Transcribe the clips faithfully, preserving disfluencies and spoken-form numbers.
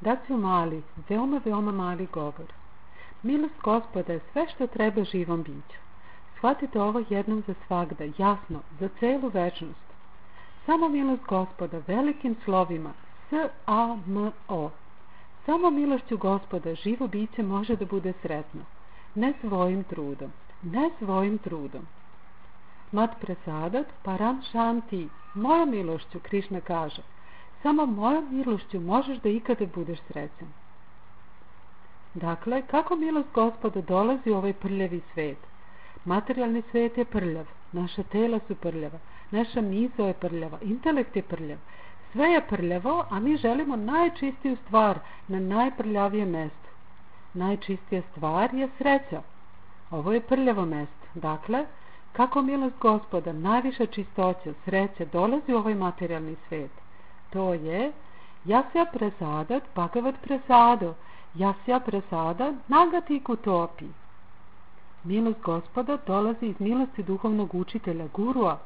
Daću mali, veoma, veoma mali govor. Milost Gospoda je sve što treba živom biću. Shvatite ovo jednom za svagda, jasno, za celu večnost. Samo milost Gospoda velikim slovima, S A M O. Samo milošću Gospoda živo biće može da bude sretno. Ne svojim trudom, ne svojim trudom. Mat Prasadat Param Shanti, mojom milošću, Krišna kaže, samo mojom milošću možeš da ikada budeš srećan. Dakle, kako milost Gospoda dolazi u ovaj prljavi svet? Materijalni svet je prljav, naša tela su prljava, naša misao je prljava, intelekt je prljav, sve je prljavo, a mi želimo najčistiju stvar na najprljavijem mestu. Najčistija stvar je sreća. Ovo je prljavo mesto. Dakle, kako milost Gospoda, najviša čistoća, sreća dolazi u ovaj materijalni svet? To je Jasya Prasadat Bhagavat Prasado, Jasya Prasada Nagati Kutopi. Milost Gospoda dolazi iz milosti duhovnog učitelja, gurua.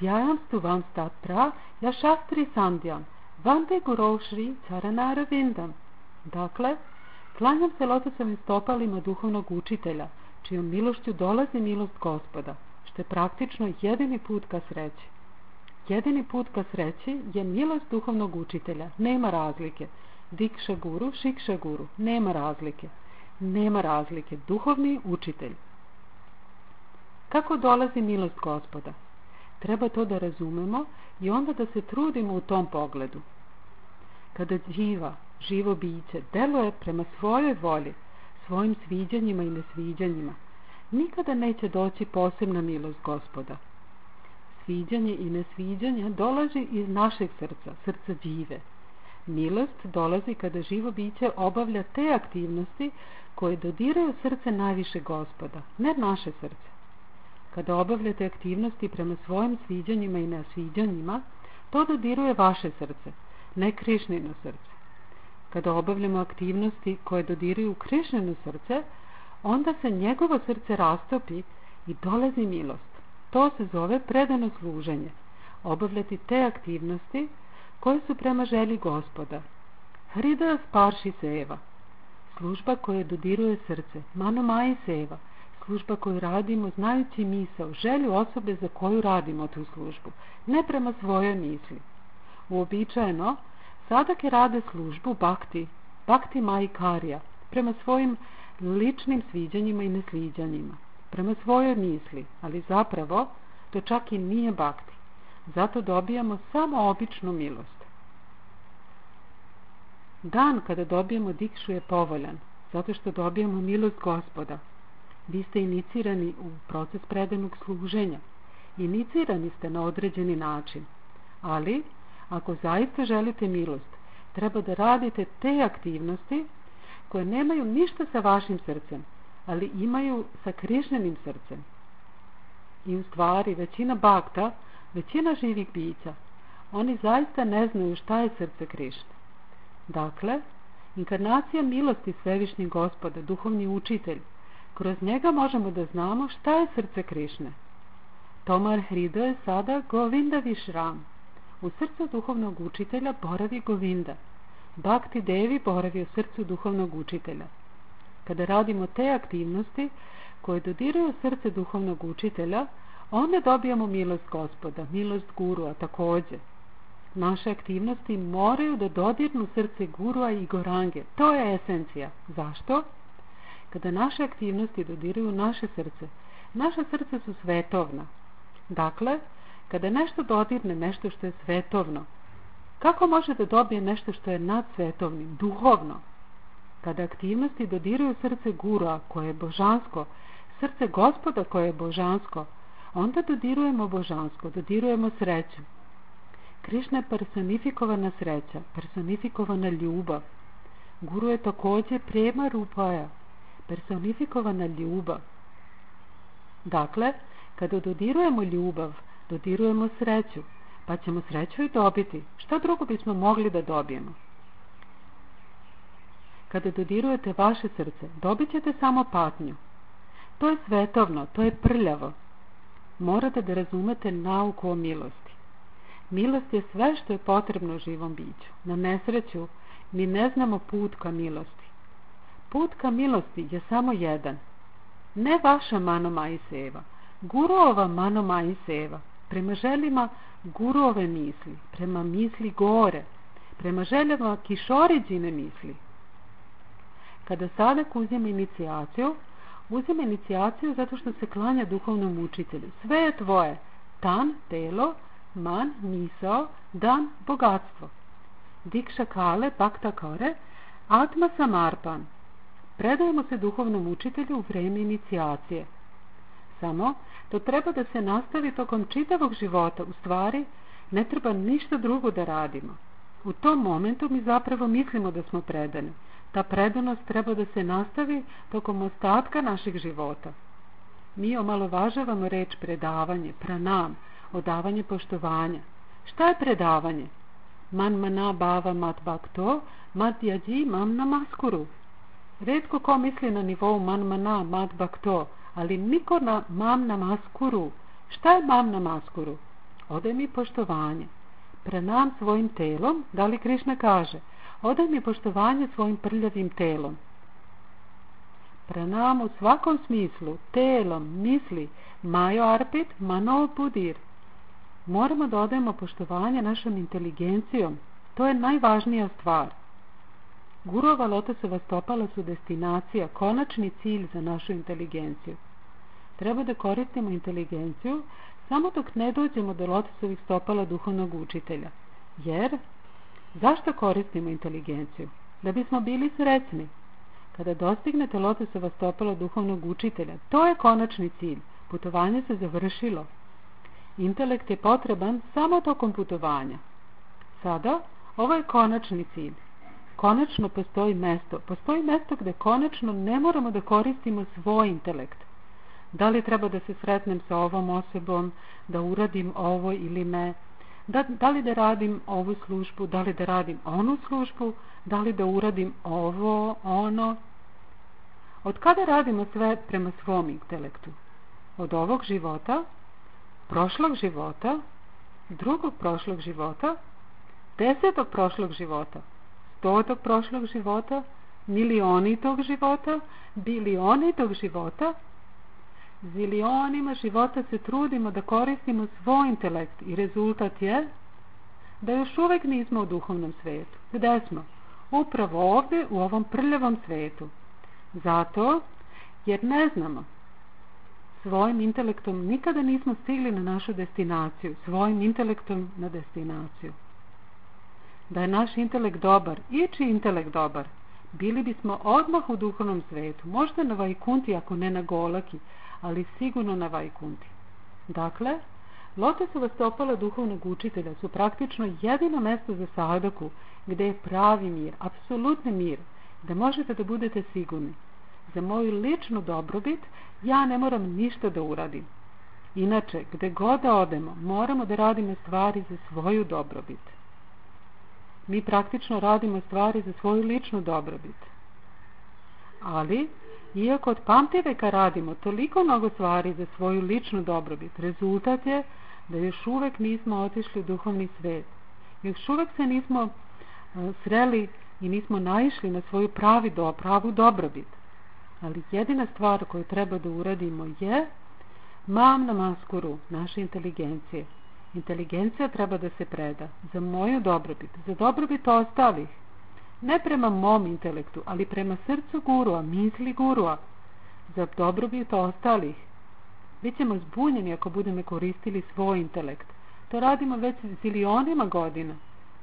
Djajam stuvam statra jašastri sandjam, vande gurošri caranara vindam. Dakle, klanjam se lotosovim stopalima duhovnog učitelja, čijom milošću dolazi milost Gospoda, što je praktično jedini put ka sreći. Jedini put ka sreći je milost duhovnog učitelja, nema razlike. Dikša guru, šikša guru, nema razlike. Nema razlike, duhovni učitelj. Kako dolazi milost Gospoda? Treba to da razumemo i onda da se trudimo u tom pogledu. Kada živa, živo biće deluje prema svojoj volji, svojim sviđanjima i nesviđanjima, nikada neće doći posebna milost Gospoda. Sviđanje i nesviđanje dolazi iz našeg srca, srca džive. Milost dolazi kada živo biće obavlja te aktivnosti koje dodiraju srce najviše Gospoda, ne naše srce. Kada obavljate aktivnosti prema svojim sviđanjima i nesviđanjima, to dodiruje vaše srce, ne Krišnino srce. Kada obavljamo aktivnosti koje dodiruju Krišnino srce, onda se njegovo srce rastopi i dolazi milost. To se zove predano služenje. Obavljati te aktivnosti koje su prema želji Gospoda. Hridaya Sparši Seva, služba koja dodiruje srce, Manomai Seva, služba koju radimo znajući misao, želju osobe za koju radimo tu službu, ne prema svojoj misli. Uobičajeno, sadake rade službu Bhakti, Bhakti Maikarija, prema svojim ličnim sviđanjima i nesviđanjima, prema svojoj misli, ali zapravo to čak i nije Bhakti. Zato dobijamo samo običnu milost. Dan kada dobijemo dikšu je povoljan, zato što dobijamo milost Gospoda. Vi ste inicirani u proces predanog služenja. Inicirani ste na određeni način. Ali, ako zaista želite milost, treba da radite te aktivnosti koje nemaju ništa sa vašim srcem, ali imaju sa Krišnenim srcem. I u stvari, većina bhakta, većina živih bića, oni zaista ne znaju šta je srce Krišne. Dakle, inkarnacija milosti Svevišnjeg Gospoda, duhovni učitelj, kroz njega možemo da znamo šta je srce Krišne. Tomar Hridaya je sada Govinda Višram. U srcu duhovnog učitelja boravi Govinda. Bhakti Devi boravi u srcu duhovnog učitelja. Kada radimo te aktivnosti koje dodiruju srce duhovnog učitelja, onda dobijamo milost Gospoda, milost Gurua takođe. Naše aktivnosti moraju da dodirnu srce Gurua i Gorange. To je esencija. Zašto? Kada naše aktivnosti dodiruju naše srce, naše srce su svetovna. Dakle, kada nešto dodirne nešto što je svetovno, kako može da dobije nešto što je nadsvetovnim, duhovno? Kada aktivnosti dodiruju srce Gurua koje je božansko, srce Gospoda koje je božansko, onda dodirujemo božansko, dodirujemo sreću. Krišna je personifikovana sreća, personifikovana ljubav. Guru je takođe prema rupaja, personifikovana ljubav. Dakle, kada dodirujemo ljubav, dodirujemo sreću, pa ćemo sreću i dobiti. Šta drugo bismo mogli da dobijemo? Kada dodirujete vaše srce, dobit ćete samo patnju. To je svetovno, to je prljavo. Morate da razumete nauku o milosti. Milost je sve što je potrebno živom biću. Na nesreću mi ne znamo put ka milosti. Put ka milosti je samo jedan. Ne vaša mano Majseva, Guruova mano Majseva, prema željima Guruove misli, prema misli gore, prema željama Kišoriđine misli. Kada sadak uzima inicijaciju, uzima inicijaciju zato što se klanja duhovnom učitelju. Sve je tvoje, tan, telo, man, misao, dan, bogatstvo. Dikša kale, bakta kore, atma samarpan. Predajemo se duhovnom učitelju u vreme inicijacije. Samo to treba da se nastavi tokom čitavog života. U stvari, ne treba ništa drugo da radimo. U tom momentu mi zapravo mislimo da smo predani. Ta predanost treba da se nastavi tokom ostatka našeg života. Mi omalovažavamo reč predavanje, pranam, odavanje poštovanja. Šta je predavanje? Man mana bava mat bakto, mat jađi mam namaskuru. Retko ko misli na nivou man mana mat bakto, ali niko na mam namaskuru. Šta je mam namaskuru? Odaj mi poštovanje. Pranam svojim telom, da li Krišna kaže, odaj mi poštovanje svojim prljavim telom. Pranam u svakom smislu, telom, misli, majo arpit, mano budir. Moramo da odajemo poštovanje našom inteligencijom. To je najvažnija stvar. Guruova lotosova stopala su destinacija, konačni cilj za našu inteligenciju. Treba da koristimo inteligenciju samo dok ne dođemo do lotosovih stopala duhovnog učitelja. Jer, zašto koristimo inteligenciju? Da bismo bili srećni. Kada dostignete lotosova stopala duhovnog učitelja, to je konačni cilj. Putovanje se završilo. Intelekt je potreban samo tokom putovanja. Sada, ovo je konačni cilj. Konačno postoji mesto. Postoji mesto gde konačno ne moramo da koristimo svoj intelekt. Da li treba da se sretnem sa ovom osobom, da uradim ovo ili ne, da, da li da radim ovu službu, da li da radim onu službu, da li da uradim ovo, ono. Od kada radimo sve prema svom intelektu? Od ovog života, prošlog života, drugog prošlog života, desetog prošlog života, stotog prošlog života, milionitog života, bilionitog života. Zilionima života se trudimo da koristimo svoj intelekt i rezultat je da još uvek nismo u duhovnom svetu. Gde smo? Upravo ovde u ovom prljavom svetu. Zato jer ne znamo. Svojim intelektom nikada nismo stigli na našu destinaciju. Svojim intelektom na destinaciju. Da je naš intelekt dobar, i čiji intelekt dobar, bili bismo odmah u duhovnom svetu. Možda na Vajkunti, ako ne na Golaki, ali sigurno na Vajkunti. Dakle, lotosova stopala duhovnog učitelja su praktično jedino mesto za sadaku gde je pravi mir, apsolutni mir, da možete da budete sigurni. Za moju ličnu dobrobit ja ne moram ništa da uradim. Inače, gde god da odemo, moramo da radimo stvari za svoju dobrobit. Mi praktično radimo stvari za svoju ličnu dobrobit. Ali, iako od pamtiveka radimo toliko mnogo stvari za svoju ličnu dobrobit, rezultat je da još uvek nismo otišli u duhovni svet. Još uvek se nismo uh, sreli i nismo naišli na svoju pravi do, pravu dobrobit. Ali jedina stvar koju treba da uradimo je mam namaskuru, naše inteligencije. Inteligencija treba da se preda za moju dobrobit, za dobrobit ostalih. Ne prema mom intelektu, ali prema srcu gurua, misli gurua, za dobrobit ostalih. Bićemo zbunjeni ako budemo koristili svoj intelekt. To radimo već zilionima godina.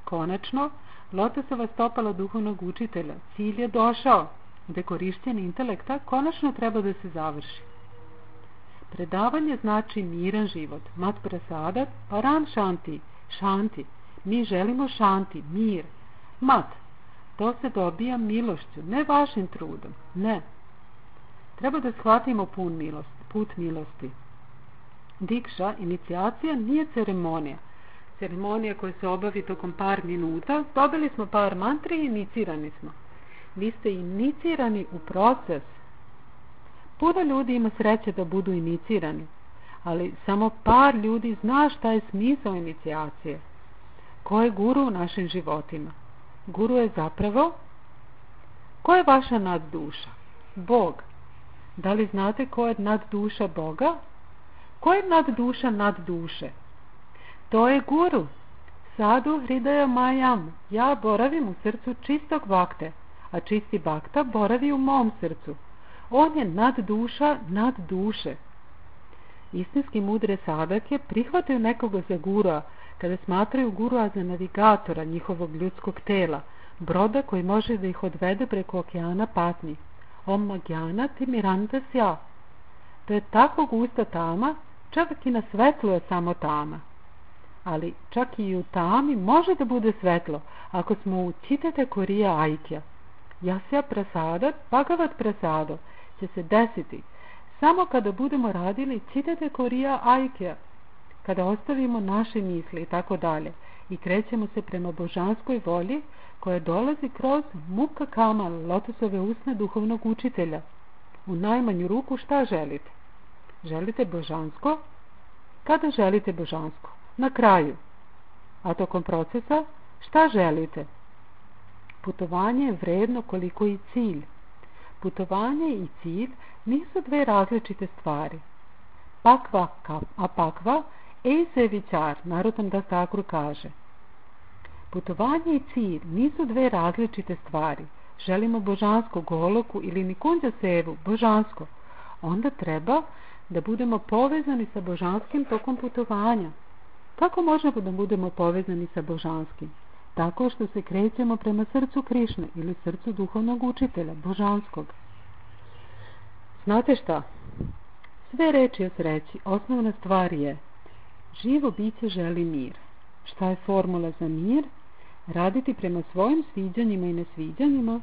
Konačno, lotosova stopala duhovnog učitelja, cilj je došao, gde korišćenje intelekta konačno treba da se završi. Predavanje znači miran život, mat prasadat, paran šanti, šanti. Mi želimo šanti, mir, mat. To se dobija milošću, ne vašim trudom, ne. Treba da shvatimo pun milost, put milosti. Dikša, inicijacija, nije ceremonija. Ceremonija koja se obavi tokom par minuta, dobili smo par mantri i inicirani smo. Vi ste inicirani u proces. Puno ljudi ima sreće da budu inicirani, ali samo par ljudi zna šta je smisao inicijacije. ko je guru u našim životima? Guru je zapravo, ko je vaša nadduša? Bog. Da li znate ko je nadduša Boga? Ko je nadduša nadduše? To je guru. Sadhu hridaja majam. Ja boravim u srcu čistog bakte, a čisti bakta boravi u mom srcu. On je nadduša nad duše. Istinski mudre sadake prihvataju nekoga za gurua kada smatraju gurua za navigatora njihovog ljudskog tela, broda koji može da ih odvede preko okeana patnji. Om magyana timiranta sja. To je tako gusta tama, čak i na svetlu je samo tama. Ali čak i u tami može da bude svetlo ako smo u Čitete Korija Aikja. Jasya prasadat, Bhagavat prasado će se desiti samo kada budemo radili Čitete Korija Aikja, kada ostavimo naše misli i tako dalje i krećemo se prema božanskoj volji koja dolazi kroz mukha kama, lotosove usne duhovnog učitelja. U najmanju ruku šta želite? Želite božansko? Kada želite božansko? Na kraju. A tokom procesa šta želite? Putovanje je vredno koliko i cilj. Putovanje i cilj nisu dve različite stvari. Pakva a pakva ejse vičar, Narottam Das Thakur kaže. Putovanje i cilj nisu dve različite stvari. Želimo božansko goloku ili nikunđa sevu, božansko. Onda treba da budemo povezani sa božanskim tokom putovanja. Kako možemo da budemo povezani sa božanskim? Tako što se krećemo prema srcu Krišne ili srcu duhovnog učitelja, božanskog. Znate šta? Sve reči o sreći, osnovna stvar je živo biće želi mir. Šta je formula za mir? Raditi prema svojim sviđanjima i nesviđanjima.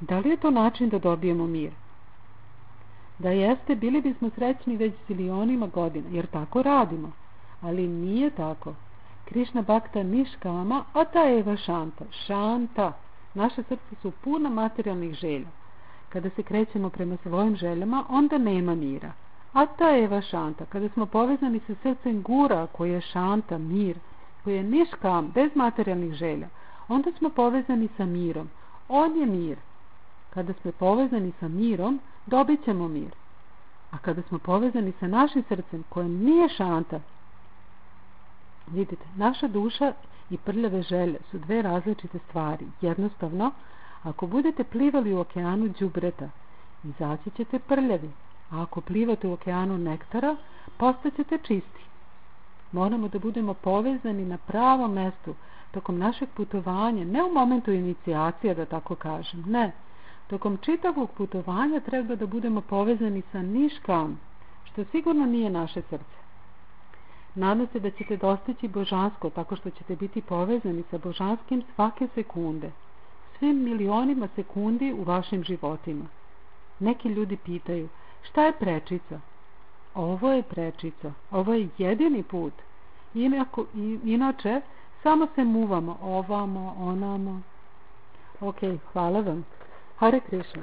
Da li je to način da dobijemo mir? Da jeste, bili bismo srećni već zilionima godina, jer tako radimo. Ali nije tako. Krišna Bhakta niškama, a ta eva šanta. Šanta. Naše srce su puna materijalnih želja. Kada se krećemo prema svojim željama, onda nema mira. A ta eva šanta. Kada smo povezani sa srcem gura, koji je šanta, mir, koji je niškam, bez materijalnih želja, onda smo povezani sa mirom. On je mir. Kada smo povezani sa mirom, dobit ćemo mir. A kada smo povezani sa našim srcem, koje nije šanta, vidite, naša duša i prljave želje su dve različite stvari. Jednostavno, ako budete plivali u okeanu đubreta, izaći ćete prljavi, a ako plivate u okeanu nektara, postaćete čisti. Moramo da budemo povezani na pravom mestu tokom našeg putovanja, ne u momentu inicijacije, da tako kažem, ne. Tokom čitavog putovanja treba da budemo povezani sa niškam, što sigurno nije naše srce. Nadam se da ćete dostići božansko tako što ćete biti povezani sa božanskim svake sekunde, svim milionima sekundi u vašim životima. Neki ljudi pitaju, šta je prečica? Ovo je prečica, ovo je jedini put. Inako, inače, samo se muvamo ovamo, onamo. Ok, hvala vam. Hare Krishna.